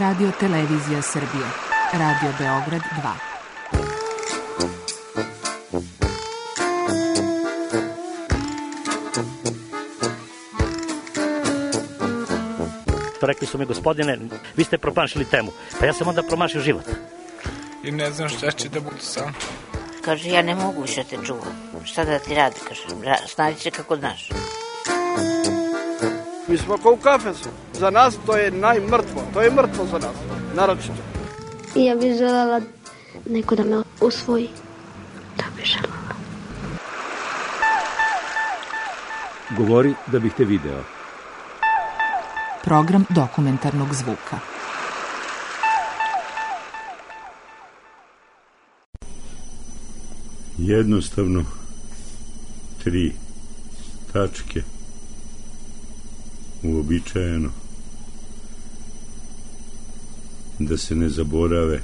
Radio Televizija Srbije, Radio Beograd 2. Rekli su mi, gospodine, vi ste promašili temu. Pa ja sam onda promašio život. I ne znam šta će da bude sam. Kaže, ja ne mogu više te čuvam. Šta da ti radi, kaže, snađi se kako znaš. Mi smo kao u kafesu. Za nas to je najmrtvo. To je mrtvo za nas, naročito. Ja bih želela neko da me usvoji. Da bih želela. Govori da bih te video. Program dokumentarnog zvuka. Jednostavno 3 tačke, uobičajeno, da se ne zaborave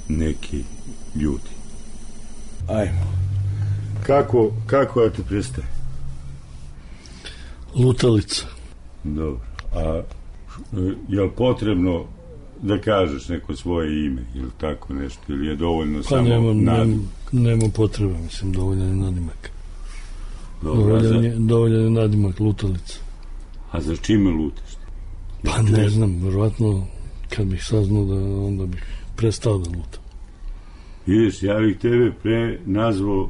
neki ljudi. Ajmo. Kako da te prestaje? Lutalica. Dobro. A je li potrebno da kažeš neko svoje ime ili tako nešto, ili je dovoljno samo nadimak? Nema potrebe, mislim, dovoljan je nadimak. Dobro, dovoljan je nadimak, Lutalica. A za čime lutiš? Pa ne znam, verovatno kad bih saznao da onda bih prestao da lutam. Vidiš, ja bih tebe pre nazvao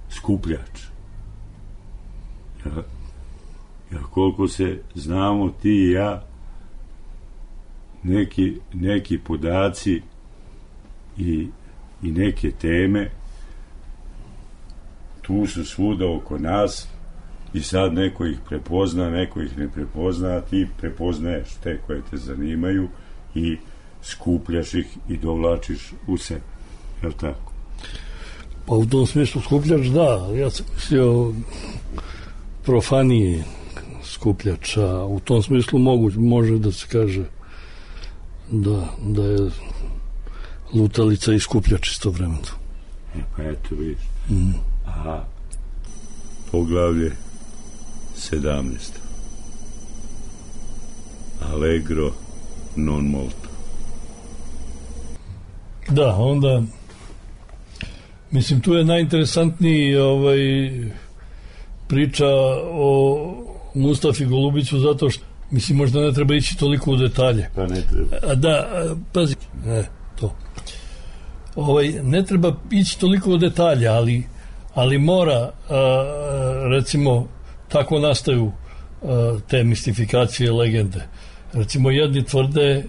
skupljač. Ja koliko se znamo ti i ja, neki podaci i neke teme tu su svuda oko nas i sad neko ih prepozna, neko ih ne prepozna, a ti prepoznaješ te koje te zanimaju i skupljaš ih i dovlačiš u sebe. Je li tako? Pa u tom smislu skupljač, da. Ja sam mislio profanije skupljača. U tom smislu može da se kaže da je lutalica i skupljač istovremeno. Pa eto, vidiš. A poglavlje 17. Allegro non molto. Da, onda mislim, tu je najinteresantniji priča o Mustafi Golubiću, zato što, mislim, možda ne treba ići toliko u detalje. Pa ne treba. Da, pazi, to. Ne treba ići toliko u detalje, ali mora, recimo, tako nastaju te mistifikacije, legende. Recimo, jedni tvrde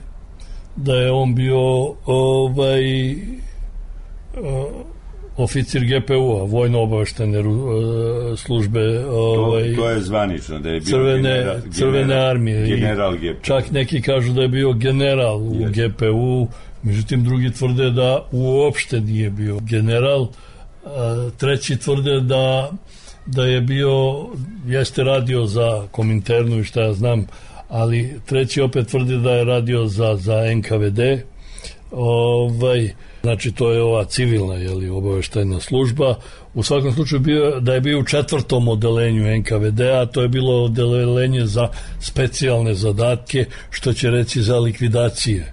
da je on bio oficir GPU-a, vojno-obaveštene službe, to je zvanično, da je bio crvene armije. General GPU. Čak neki kažu da je bio general u GPU, međutim drugi tvrde da uopšte nije bio general. Treći tvrde da je bio, jeste radio za Kominternu i šta ja znam, ali treći opet tvrdi da je radio za NKVD. Znači to je ova civilna obaveštajna služba. U svakom slučaju da je bio u 4. odelenju NKVD-a, to je bilo odelenje za specijalne zadatke, što će reći za likvidacije.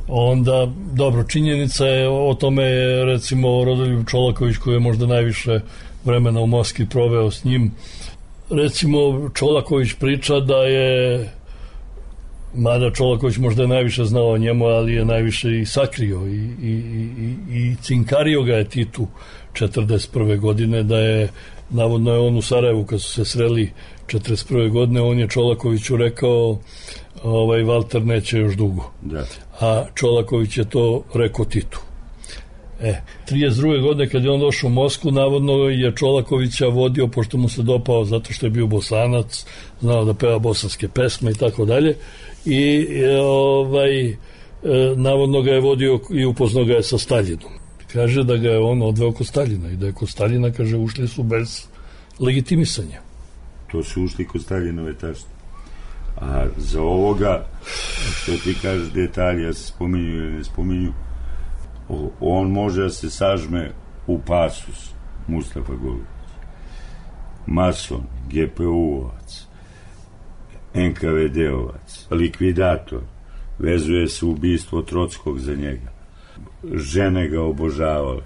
Onda, dobro, činjenica je o tome, recimo Rodoljub Čolaković, koji je možda najviše vremena u Moskvi proveo s njim. Recimo Čolaković priča da je, mada Čolaković možda je najviše znao o njemu, ali je najviše i sakrio i cinkario ga je Titu 1941. godine, da je, navodno je on u Sarajevu kad su se sreli 1941. godine, on je Čolakoviću rekao Valter neće još dugo. Da. A Čolaković je to rekao Titu. 32. godine kad je on došao u Moskvu, navodno je Čolakovića vodio, pošto mu se dopao zato što je bio Bosanac, znao da peva bosanske pesme i tako dalje, i navodno ga je vodio i upoznao ga je sa Staljinom. Kaže da ga je on odveo kod Staljina i da je kod Staljina, kaže, ušli su bez legitimisanja. To su ušli kod Staljinove tašte. A za ovoga, što ti kažeš detalje, se spominju ili ne spominju, on može da se sažme u pasus Mustafa Golubić. Mason, GPU-ovac, NKVD-ovac, likvidator, vezuje se ubistvo Trockog za njega. Žene ga obožavale.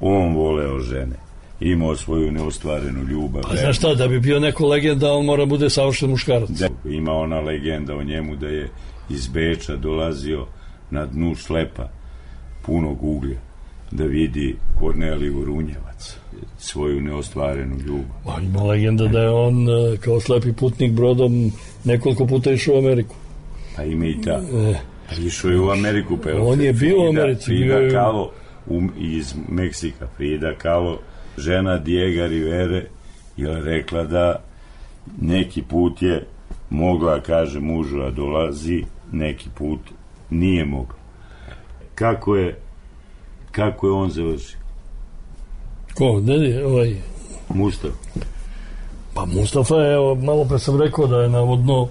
On voleo žene. Imao svoju neostvarenu ljubav. A znaš šta, da bi bio neko legenda, on mora bude savršen muškarac. Ima ona legenda o njemu da je iz Beča dolazio na dnu šlepa punog uglja da vidi Korneliju Runjevac, svoju neostvarenu ljubav. Ima legenda da je on kao slepi putnik brodom nekoliko puta išao u Ameriku. Pa ima i ta. Išao je u Ameriku. Pa on je bio u Americi. Frida Kahlo iz Meksika. Frida Kahlo, žena Diego Rivere, je rekla da neki put je mogla, kaže mužu, a dolazi, neki put nije mogla. Kako je on završio? Ko? Mustafa. Pa Mustafa je, malo pre sam rekao da je navodno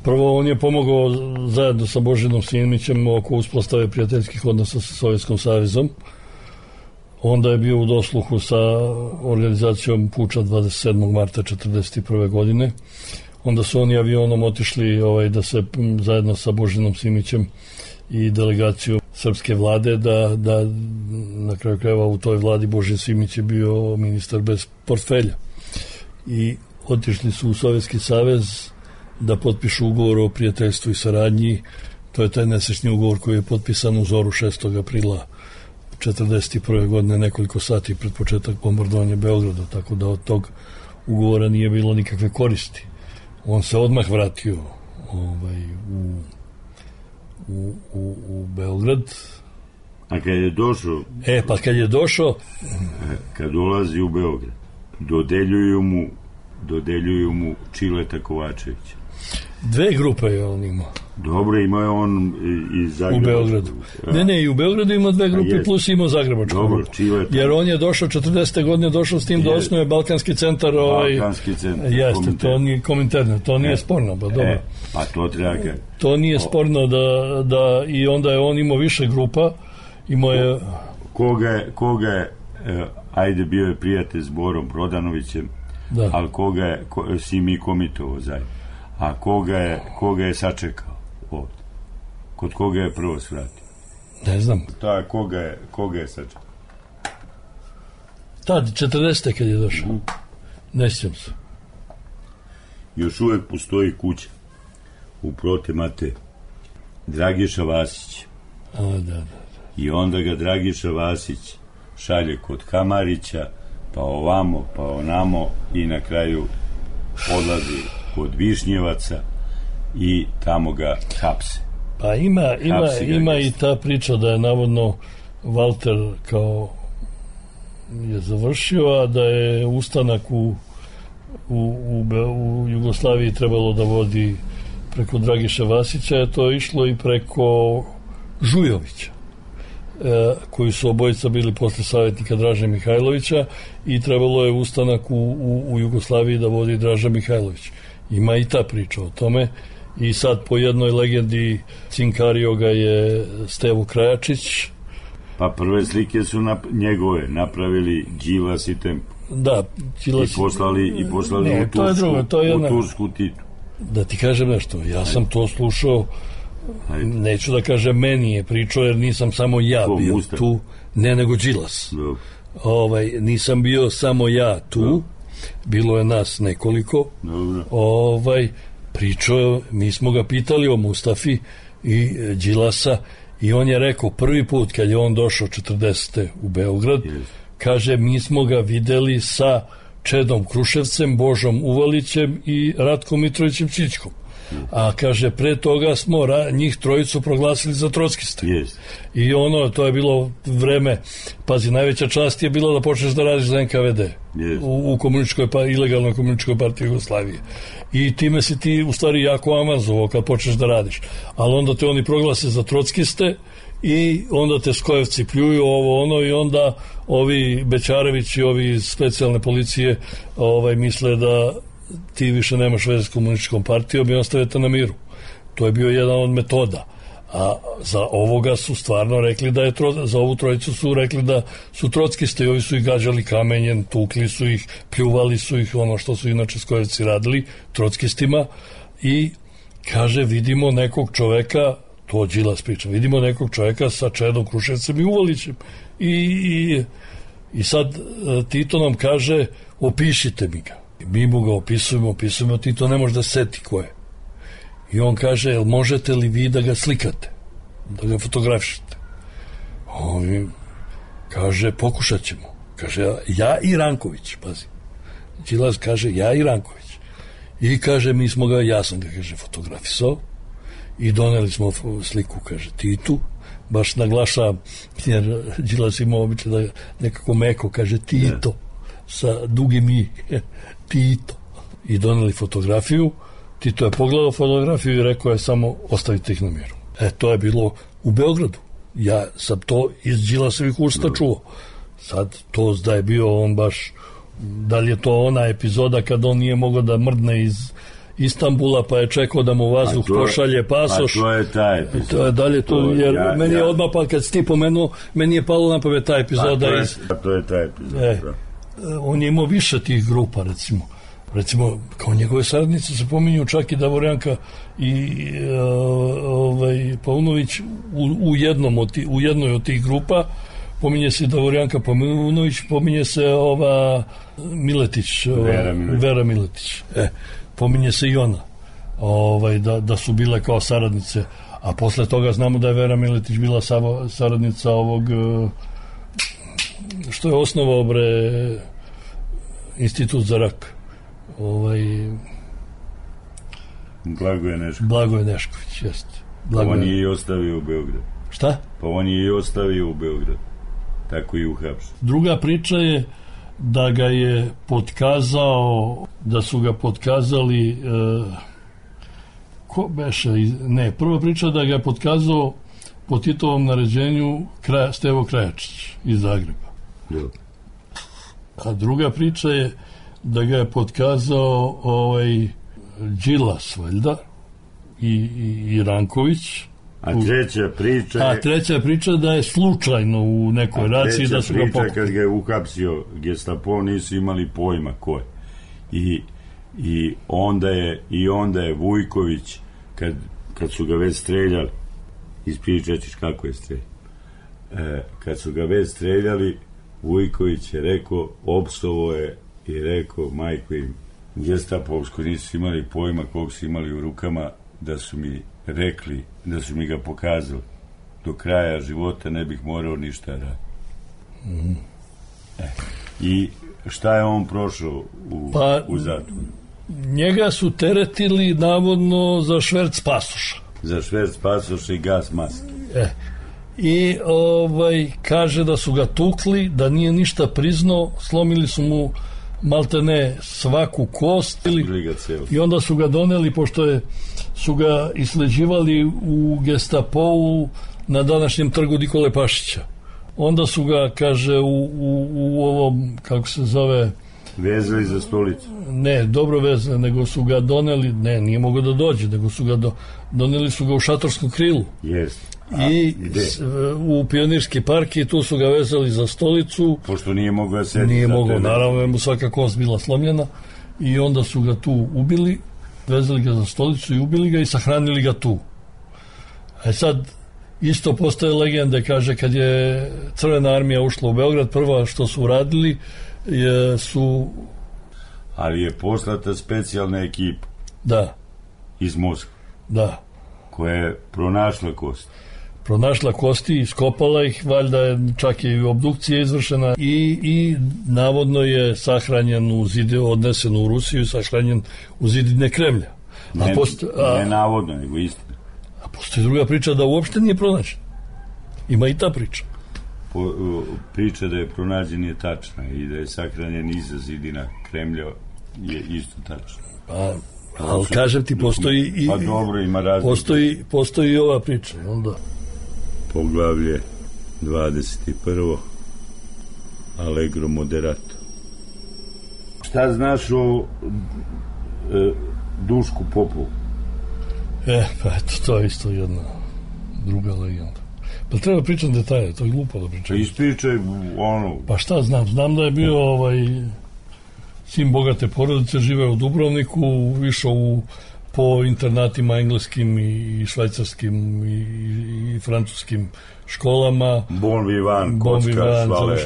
prvo on je pomogao zajedno sa Božinom Simićem oko uspostave prijateljskih odnosa sa Sovjetskom savezom. Onda je bio u dosluhu sa organizacijom puča 27. marta 1941. godine. Onda su oni avionom otišli da se zajedno sa Božinom Simićem i delegacijom srpske vlade da na kraju krajeva u toj vladi Božin Simić je bio ministar bez portfelja. I otišli su u Sovjetski savez da potpišu ugovor o prijateljstvu i saradnji. To je taj nesečni ugovor koji je potpisan u zoru 6. aprila 1941. godine, nekoliko sati pred početak bombardovanja Beograda, tako da od tog ugovora nije bilo nikakve koristi. On se odmah vratio u Beograd. A kad je došao... kad je došao... Kad dolazi u Beograd, dodeljuju mu Čileta Kovačevića. Dve grupe je on imao. Dobro, imao je on i Zagrebačku. U Beogradu. Ne, i u Beogradu ima dve grupe, plus imao Zagrebačku. Dobro, Čileta. Jer on je došao, 40. godine došao s tim da osnuje Balkanski centar. Balkanski centar. Jeste, to nije Komintern, to nije sporno, pa dobro. Pa to treba ga... To nije sporno da i onda je on imao više grupa, imao je... Koga je, ajde bio je prijatelj s Borom Prodanovićem, da. Ali koga je si mi komitovo zajedno. A koga je sačekao ovdje? Kod koga je prvo svratio? Ne znam. Koga je sačekao? Tad, 40. kad je došao. Ne sjećam se. Još uvek postoji kuća u Protemate Dragiša Vasić. Da. I onda ga Dragiša Vasić šalje kod Kamarića, pa ovamo, pa onamo i na kraju odlazi kod Višnjevaca i tamo ga hapse. Pa ima i ta priča da je navodno Valter kao je završio, a da je ustanak u Jugoslaviji trebalo da vodi preko Dragiša Vasića, je to išlo i preko Žujovića, koji su obojica bili posle savjetnika Draže Mihajlovića, i trebalo je ustanak u Jugoslaviji da vodi Draža Mihajlović. Ima i ta priča o tome. I sad po jednoj legendi cinkario ga je Stevo Krajačić. Pa prve slike su njegove napravili Đilas i Tempo. Da, Đilas i poslali ne, u Tursku Titu. Da ti kažem nešto, ja sam to slušao. Neću da kažem meni je pričao, jer nisam samo ja bio tu, ne, nego Đilas. Nisam bio samo ja tu, bilo je nas nekoliko. Pričao, mi smo ga pitali o Mustafi i Đilasa, i on je rekao prvi put kad je on došao 40. u Beograd, kaže, mi smo ga videli sa Čedom Kruševcem, Božom Uvalićem i Ratkom Mitrovićem Čičkom. A kaže, pre toga smo njih trojicu proglasili za trockiste. I to je bilo vreme, pazi, najveća čast je bila da počneš da radiš za NKVD u ilegalnoj komunističkoj partiji Jugoslavije. I time si ti u stvari jako amazovao kad počneš da radiš. Ali onda te oni proglase za trockiste i onda te skojevci pljuju i onda ovi Bećarević i ovi iz specijalne policije misle da ti više nemaš veze s komunističkom partijom i ostavite na miru. To je bio jedan od metoda. A za ovoga su stvarno rekli da je za ovu trojicu su rekli da su trockisti i ovi su ih gađali kamenjem, tukli su ih, pljuvali su ih, ono što su inače Skojevci radili trockistima. I kaže, vidimo nekog čoveka, to Đilas priča, vidimo nekog čoveka sa Čedom Kruševcem i Uvalićem. I sad Tito nam kaže, opišite mi ga. Mi mu ga opisujemo, Tito ne može da seti ko je. I on kaže, jel možete li vi da ga slikate, da ga fotografišete? On kaže, pokušat ćemo. Kaže, ja i Ranković, pazi. Đilas kaže, ja i Ranković. I kaže, ja sam ga, kaže, fotografisao i doneli smo sliku, kaže, Titu. Baš naglašavam, jer Đilas ima običaj da nekako meko kaže Tito, sa dugim i Tito. I doneli fotografiju. Tito je pogledao fotografiju i rekao je samo ostavite ih na miru. To je bilo u Beogradu. Ja sam to iz Đilasovih usta čuo. Sad to da je bio on baš, da li je to ona epizoda kad on nije mogao da mrdne iz Istanbula pa je čekao da mu vazduh pošalje pasoš. A to je taj epizod. Dalje to, jer meni je odmah pa kad si ti pomenuo, meni je palo na pamet ta epizoda. To je taj epizod. On je imao više tih grupa, recimo kao njegove saradnice se pominju čak i Davorjanka i Paunović u jednoj od tih grupa. Pominje se Davorjanka Paunović, pominje se Miletić, Vera Miletić. Pominje se i ona, da su bile kao saradnice, a posle toga znamo da je Vera Miletić bila saradnica ovog što je osnovao Institut za rak. Blagoje Nešković, jeste. Pa on je i ostavio u Beograd. Šta? Pa on je i ostavio u Beograd. Tako i uhapšen. Druga priča je da ga je potkazao, da su ga potkazali ko beše, ne, prva priča da ga je potkazao po Titovom naređenju Stevo Krajačić iz Zagreba. A druga priča je da ga je potkazao Đilas, valjda, i Ranković. A treća priča da je slučajno u nekoj raciji da su ga pokupili. Kad ga je uhapsio Gestapo, nisu imali pojma ko je. I onda je Vujković, kad su ga već streljali, ispričat ćeš kako je streljali. Kad su ga već streljali, Vujković je rekao, opsovo je i rekao, majko im, Gestapovsko nisu imali pojma kog su imali u rukama, da su mi rekli, da su mi ga pokazali, do kraja života ne bih morao ništa raditi. I šta je on prošao u zatvoru? Njega su teretili navodno za šverc pasoša. Za šverc pasoša i gas maske. I kaže da su ga tukli, da nije ništa priznao, slomili su mu maltene svaku kost i onda su ga doneli, pošto su ga isleđivali u Gestapou na današnjem trgu Nikole Pašića. Onda su ga, kaže, u ovom, kako se zove, vezali za stolicu. Ne, dobro vezali, nego su ga doneli, nije mogao da dođe, nego su ga doneli su ga u Šatorskom krilu. Jeste. I u Pionirski park i tu su ga vezali za stolicu. Pošto nije mogao da sedi. Nije mogao, naravno je mu svaka kost bila slomljena i onda su ga tu ubili, vezali ga za stolicu i ubili ga i sahranili ga tu. Sad isto postoje legende, kaže, kad je Crvena armija ušla u Beograd, prva što su uradili su... Ali je poslata specijalna ekipa. Da. Iz Moskve. Da. Koja je pronašla kosti. Pronašla kosti, iskopala ih, valjda je čak i obdukcija izvršena i navodno je sahranjen odnesen u Rusiju i sahranjen u zidine Kremlja. Ne navodno, nego istina. A postoji druga priča da uopšte nije pronađen. Ima i ta priča. Priča da je pronađen je tačna i da je sahranjen iza zidina Kremlja je isto tačna. Ali kažem ti, postoji i... Pa dobro, ima razlika. Postoji i ova priča, onda... Poglavlje 21. Allegro moderato. Šta znaš o Dušku Popovu? Pa eto, to je isto jedna druga legenda. Pa treba pričati detalje, to je glupo da pričam. Ispričaj ono... Pa šta znam da je bio sin bogate porodice, živeo u Dubrovniku, išao po internatima engleskim i švajcarskim i francuskim školama. Bon vivant, kocka, švale.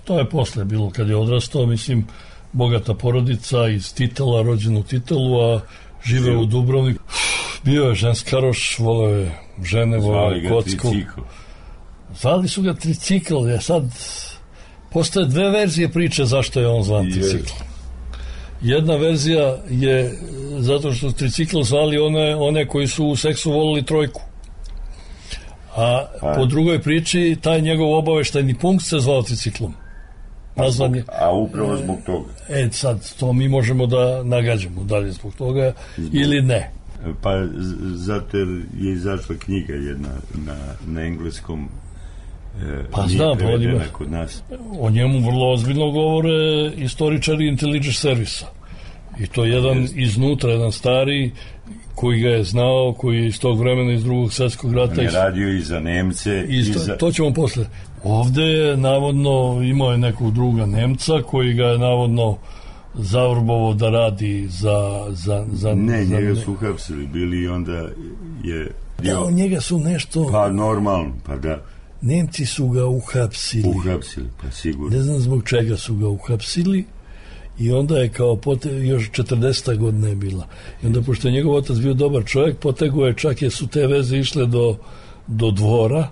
To je posle bilo kad je odrastao, mislim, bogata porodica iz Titela, rođen u Titelu, a živeo u Dubrovniku. Bio je ženskaroš, voleo je žene, voleo je kocku. Zvali su ga tricikl, sad postoje dve verzije priče zašto je on zvan tricikl. Jedna verzija je zato što tricikl zvali one koji su u seksu volili trojku. A po drugoj priči taj njegov obaveštajni punkt se zvao triciklom. A upravo zbog toga. Sad, to mi možemo da nagađamo, da li je zbog toga ili ne. Pa zato je izašla knjiga jedna na engleskom, pa znam, kod nas. O njemu vrlo ozbiljno govore istoričari Intelligence Servisa. I to jedan iznutra, jedan stari koji ga je znao, koji je iz tog vremena, iz Drugog svjetskog rata. On je radio i za Nemce. To ćemo posle. Ovde je navodno imao je nekog druga Nemca koji ga je navodno zavrbovo da radi za njega su uhapsili bili i onda je... Da, njega su nešto... Pa normalno, pa da... Nemci su ga uhapsili, pa sigurno. Ne znam zbog čega su ga uhapsili i onda je kao još 40. godina je bila. I onda, pošto je njegov otac bio dobar čovjek, potegao je, čak su te veze išle do dvora,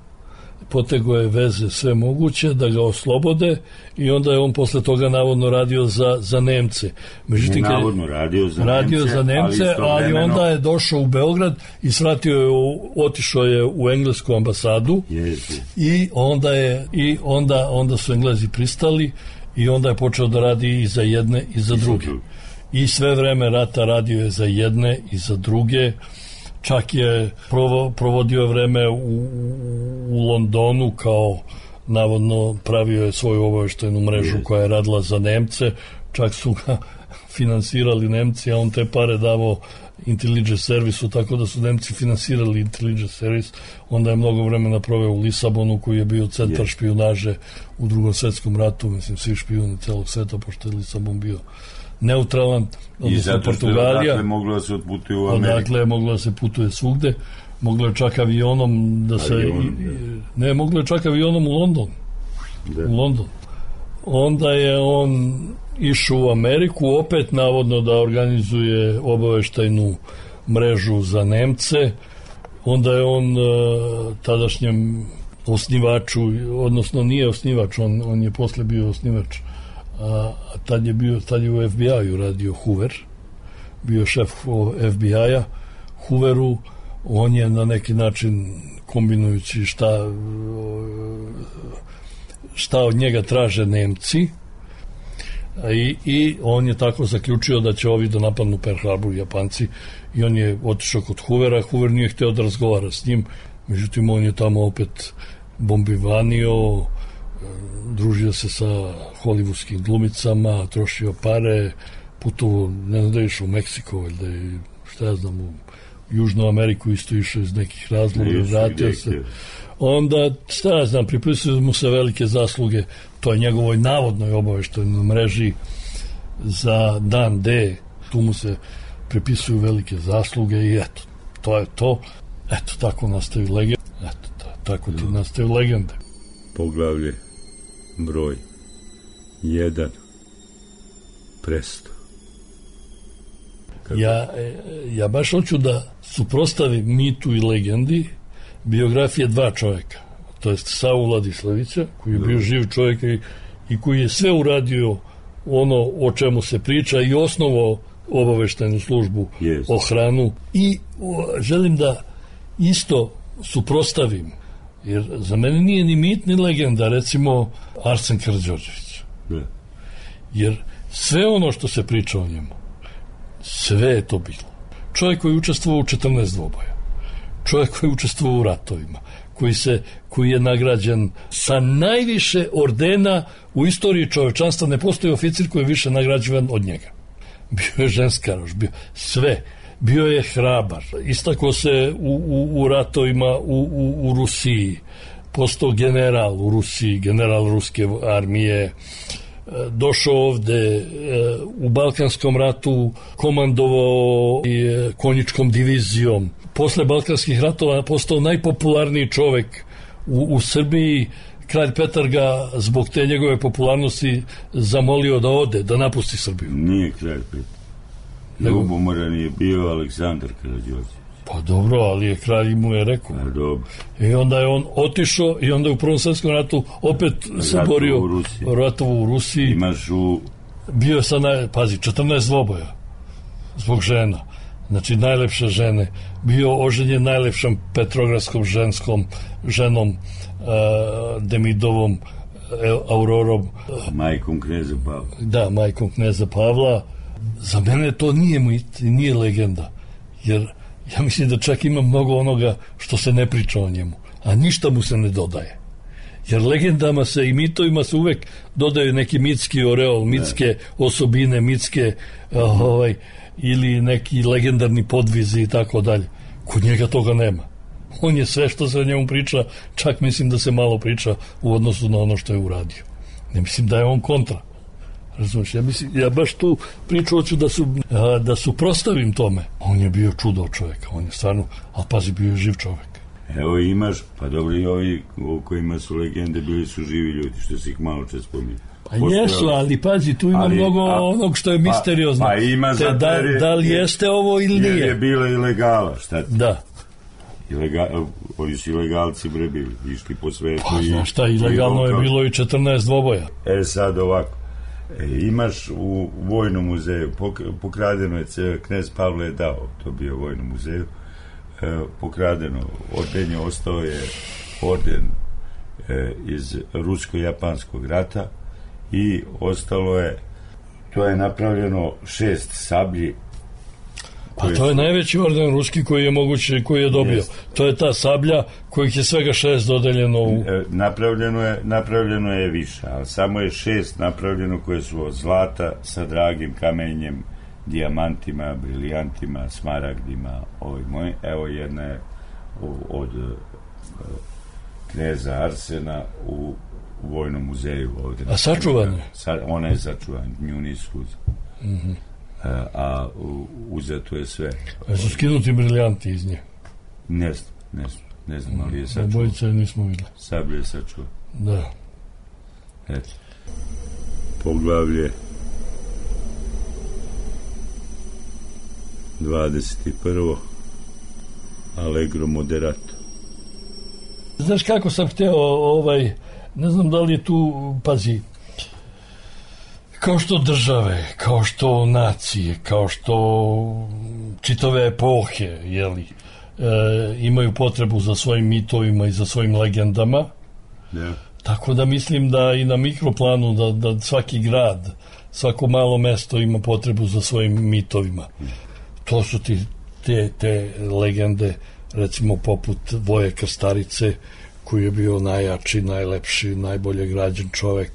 potegao je veze sve moguće da ga oslobode i onda je on posle toga navodno radio za Nemce. Međutim, navodno radio za Nemce, ali onda je došao u Beograd i otišao je u englesku ambasadu. I onda su Englezi pristali i onda je počeo da radi i za jedne i za druge. I sve vreme rata radio je za jedne i za druge. Čak je provodio vreme u Londonu, kao navodno pravio je svoju obaveštajnu mrežu koja je radila za Nemce, čak su ga finansirali Nemci, a on te pare davao Intelligence Servisu, tako da su Nemci finansirali Intelligence Service. Onda je mnogo vremena proveo u Lisabonu, koji je bio centar špijunaže u Drugom svjetskom ratu, mislim svi špijuni celog sveta, pošto je Lisabon bio neutralan, odnosno Portugalija. Odakle moglo da se otputuje u Ameriku. Odakle je moglo da se putuje svugde. Moglo je čak avionom da se... Ne, moglo je čak avionom u London. U London. Onda je on išao u Ameriku, opet navodno da organizuje obaveštajnu mrežu za Nemce. Onda je on tadašnjem osnivaču, odnosno nije osnivač, on je posle bio osnivač, a tad je u FBI-u radio Hoover, bio šef FBI-a Hooveru. On je na neki način, kombinujući šta od njega traže Nemci, i on je tako zaključio da će ovi da napadnu Pearl Harbor, Japanci, i on je otišao kod Hoovera. Hoover nije hteo da razgovara s njim, međutim on je tamo opet bombivanio, družio se sa hollywoodskim glumicama, trošio pare, putovao, ne znam da je išao u Meksiko, valjda je, šta ja znam, u Južnu Ameriku isto išao iz nekih razloga, vratio se. Onda, šta ja znam, pripisuju mu se velike zasluge toj njegovoj navodnoj obaveštajnoj mreži za dan D. Tu mu se pripisuju velike zasluge i eto, to je to. Eto, tako nastaju legende. Eto, tako ti nastaju legende. Poglavlje broj 1. Presto. Ja baš hoću da suprotstavim mitu i legendi biografije dva čovjeka. To je Savu Vladislavića, koji je bio živ čovjek i koji je sve uradio ono o čemu se priča i osnovao obaveštajnu službu, ochranu. I želim da isto suprotstavim, jer za mene nije ni mit ni legenda, recimo Arsen Karađorđević. Jer sve ono što se priča o njemu, sve je to bilo. Čovjek koji je učestvovao u 14 dvoboja, čovjek koji je učestvovao u ratovima, koji je nagrađen sa najviše ordena u istoriji čovečanstva. Ne postoji oficir koji je više nagrađivan od njega. Bio je ženskaroš, bio sve. bio je hrabar, istakao se u ratovima u Rusiji, postao general u Rusiji, general ruske armije, došao ovde, u Balkanskom ratu komandovao konjičkom divizijom. Posle Balkanskih ratova postao najpopularniji čovek u Srbiji. Kralj Petar ga zbog te njegove popularnosti zamolio da ode, da napusti Srbiju. Nije kralj Petar. Ljubomoran je bio Aleksandar Karađorđević. Pa dobro, ali je kralj mu je rekao. Pa dobro. I onda je on otišao i onda je u Prvom svetskom ratu opet se borio ratovo u Rusiji. Imaš bio sa, pazi, 14 dvoboja zbog žena. Znači, najlepše žene. Bio oženjen najlepšom petrogradskom ženom, Demidovom, Aurorom. Majkom kneza Pavla. Da, majkom kneza Pavla. Za mene to nije legenda. Jer ja mislim da čak ima mnogo onoga što se ne priča o njemu. A ništa mu se ne dodaje. Jer legendama se i mitovima se uvek dodaju neki mitski oreol, mitske osobine, mitske ili neki legendarni podvizi i tako dalje. Kod njega toga nema. On je sve što se o njemu priča, čak mislim da se malo priča u odnosu na ono što je uradio. Ne mislim da je on kontra. Razumiješ, ja baš tu priču hoću da suprostavim tome. On je bio čudo čovjeka, on je stvarno, ali pazi, bio je živ čovjek. Evo imaš, pa dobro i ovi o kojima su legende bili su živi ljudi, što si ih malo čas spominjao. Pa jesu, ali pazi, tu ima mnogo onog što je misteriozno. Pa ima da li jeste ovo ili nije? Jer je bila ilegala, šta ti? Da. Ovi su ilegalci bre bili, išli po svetu. Pa znaš šta, ilegalno je bilo i 14 dvoboja. Sad ovako, imaš u Vojnom muzeju, pokradeno je, knez Pavle je dao, to bio u Vojnom muzeju, pokradeno ordenje, ostao je orden iz rusko-japanskog rata i ostalo je, to je napravljeno 6 sablji. Pa to je najveći orden ruski koji je moguće, koji je dobio. To je ta sablja kojih je svega 6 dodeljeno u... Napravljeno je više, ali samo je 6 napravljeno koje su od zlata sa dragim kamenjem, dijamantima, brilijantima, smaragdima, evo jedna je od kneza Arsena u Vojnom muzeju ovde. A sačuvane? Ona je sačuvana, nju nisu uzeli. A uzeto je sve. A su skinuti briljanti iz nje? Ne znam, ali je sačuvan. Obojice nismo videli. Sablje je sačuvan. Da. Eto. Poglavlje 21. Allegro moderato. Znaš kako sam hteo, ne znam da li je tu, pazi, kao što države, kao što nacije, kao što čitave epohe, imaju potrebu za svojim mitovima i za svojim legendama. Yeah. Tako da mislim da i na mikroplanu da svaki grad, svako malo mesto ima potrebu za svojim mitovima. To su te legende, recimo poput Voje Krstarice, koji je bio najjači, najlepši, najbolje građen čovek.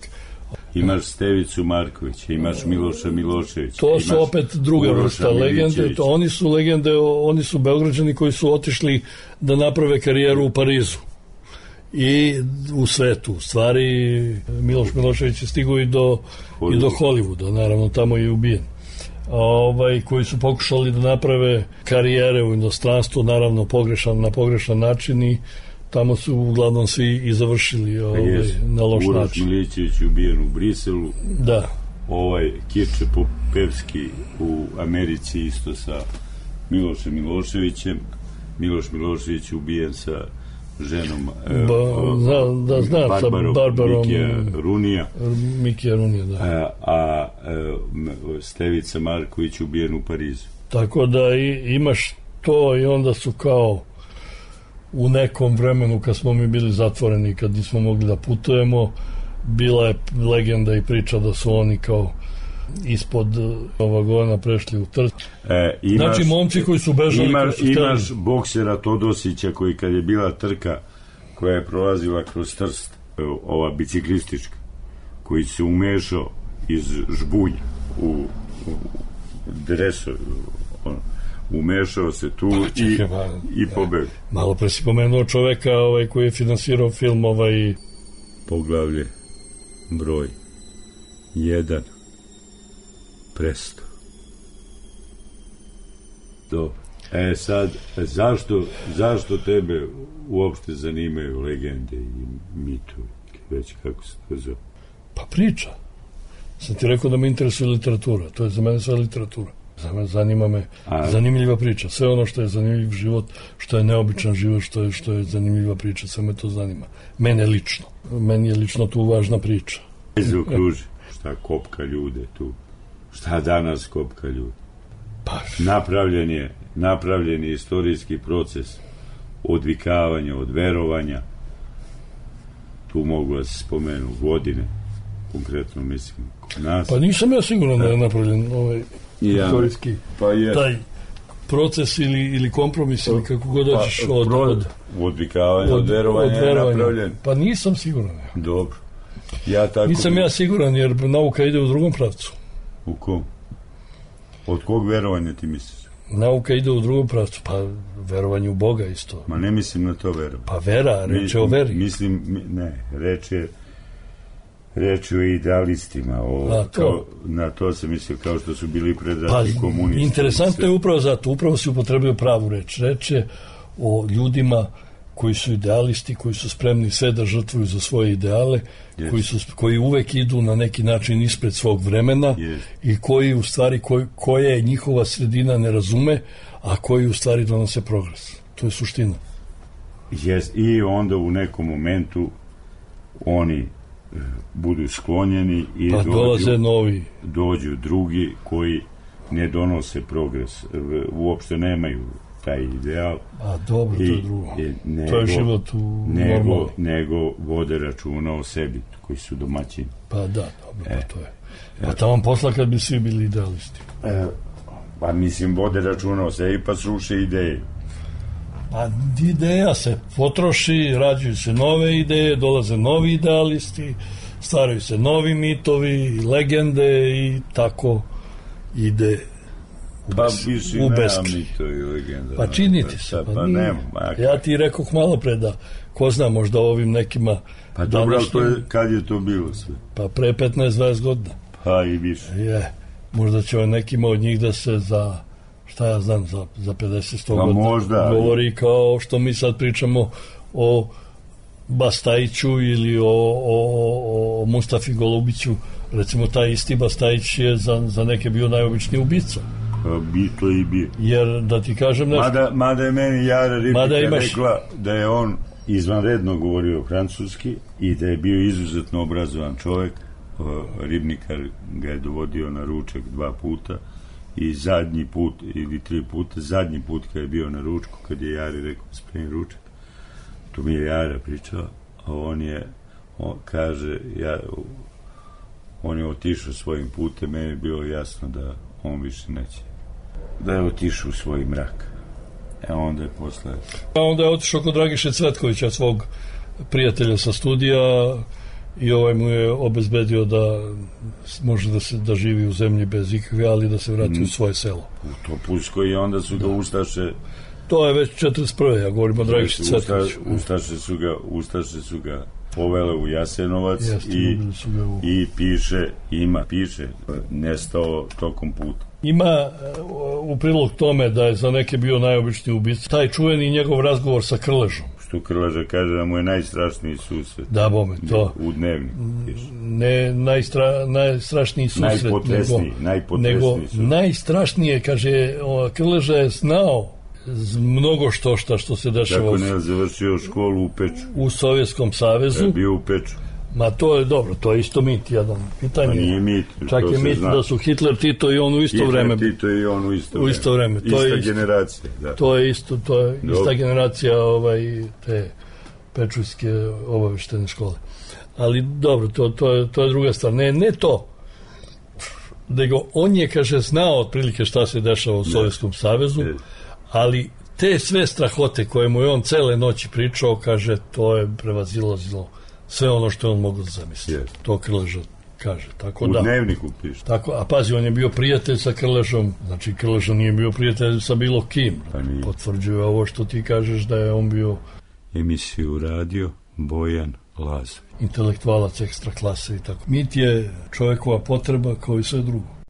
Imaš Stevicu Markovića, imaš Miloša Miloševića. To su opet druga vrsta legende. Oni su legende, oni su Beograđani koji su otišli da naprave karijeru u Parizu i u svetu. U stvari, Miloš Milošević je stigao i do Hollywooda, naravno tamo je ubijen. Koji su pokušali da naprave karijere u inostranstvu, naravno na pogrešan način, i tamo su uglavnom svi i završili na loš način. Uroš Milićević ubijen u Briselu. Da. Kirče Popevski u Americi isto sa Milošem Miloševićem. Miloš Milošević ubijen sa ženom Barbarom Mikija Runija, da. A Stevica Marković ubijen u Parizu. Tako da imaš to, i onda su kao u nekom vremenu kad smo mi bili zatvoreni, kad nismo mogli da putujemo, bila je legenda i priča da su oni kao ispod vagona prešli u Trst. Znači momci koji su bežali, imaš boksera Todosića koji kad je bila trka koja je prolazila kroz Trst, ova biciklistička, koji se umešao iz žbunja u dresu, umešao se tu i pobegao. Malo pre si pomenuo čoveka koji je finansirao film Poglavlje broj 1 Presto. Dobro. Sad, zašto tebe uopšte zanimaju legende i mitovi? Već kako se to zove? Pa priča. Sam ti rekao da me interesuje literatura. To je za mene sve literatura. Zanima me zanimljiva priča. Sve ono što je zanimljiv život, što je neobičan život, što je zanimljiva priča, sve me to zanima. Mene lično. Meni je lično tu važna priča. Zaokruži. Šta kopka ljude tu? Šta danas kopka ljude? Pa. Napravljen je istorijski proces odvikavanja, od verovanja. Tu mogu da se spomenu godine, konkretno mislim kod nas. Pa nisam ja siguran da je napravljen istorijski taj proces ili kompromis ili kako god dođeš od odvikavanja, od verovanja je napravljen. Pa nisam siguran. Dobro. Nisam ja siguran jer nauka ide u drugom pravcu. U kom? Od kog verovanja ti misliš? Nauka ide u drugom pravcu, pa verovanje u Boga isto. Ma ne mislim na to verovanje. Pa vera, reč je o veri. Reč je o idealistima. Na to se mislio kao što su bili predrati komunisti. Interesantno je upravo zato, upravo si upotrebio pravu reč. Reč je o ljudima koji su idealisti, koji su spremni sve da žrtvuju za svoje ideale, koji uvek idu na neki način ispred svog vremena i koji u stvari, koje njihova sredina ne razume, a koji u stvari donose progres. To je suština. I onda u nekom momentu oni budu sklonjeni i dođu drugi koji ne donose progres, uopšte nemaju taj ideal. A dobro, to je drugo. To je život u normalu. Nego vode računa o sebi, koji su domaćini. Pa da, dobro, pa to je. Pa tamo posla kad bi svi bili idealisti. Pa mislim, vode računa o sebi pa sruše ideje. Pa ideja se potroši, rađuju se nove ideje, dolaze novi idealisti, stvaraju se novi mitovi, legende i tako ide u beskraj. Pa činiti se. Ja ti rekoh malo pre da ko zna možda ovim nekima. Pa dobro, kad je to bilo sve? Pa pre 15-20 godina. Pa i više. Možda će nekima od njih da se za šta ja znam, za 50-100 godina možda, govori kao što mi sad pričamo o Bastajiću ili o Mustafi Golubiću. Recimo, taj isti Bastajić je za neke bio najobičniji ubica. To i bio. Jer, da ti kažem nešto... Mada je meni Jara Ripika rekla da je on izvanredno govorio francuski i da je bio izuzetno obrazovan čovek. Ribnikar ga je dovodio na ručak 2 puta i zadnji put ili 3 puta, zadnji put kad je bio na ručku, kad je Jari rekao spremi ručak, to mi je Jara pričao, a on je otišao svojim putem, meni je bilo jasno da on više neće, da je otišao u svoj mrak. Onda je posle... Onda je otišao kod Dragiše Cvetkovića, svog prijatelja sa studija, i mu je obezbedio da može da živi u zemlji bez ikakve, ali da se vrati u svoje selo. U Topuskoj i onda su ga Ustaše... To je već 41. Ja govorim o Dragiši Cvetkoviću. Ustaše su ga povele u Jasenovac i piše nestao tokom puta. Ima u prilog tome da je za neke bio najobičniji ubica taj čuveni njegov razgovor sa Krležom. Što Krleža kaže da mu je najstrašniji susret. Da, bome, to. U Dnevniku. Ne najstrašniji susret, nego najstrašnije, kaže, Krleža je znao mnogo što se dešava. Tako ne je završio školu u Peču. U Sovjetskom savezu. Je bio u Peču. Ma to je dobro, to je isto mit, jedan pitanje. Pa nije mit. Čak je mit da su Hitler, Tito i on u isto vreme. Hitler, Tito i on u isto vreme. Ista generacija. Da. To je ista generacija te pečujske obaveštene škole. Ali dobro, to je druga stvar. Ne to. Nego on je, kaže, znao otprilike šta se dešava u Sovjetskom savezu, ali te sve strahote koje mu je on cele noći pričao, kaže, to je prevazilazilo sve ono što je on mogao da zamisli. To Krleža kaže. Tako U da, dnevniku piše. tako, a pazi, on je bio prijatelj sa Krlešom, znači Krleša nije bio prijatelj sa bilo kim. Pa nije. Potvrđuje ovo što ti kažeš da je on bio Emisiju radio Bojan Laza. intelektualac ekstra klase i tako. Mit je čovjekova potreba kao i sve drugo.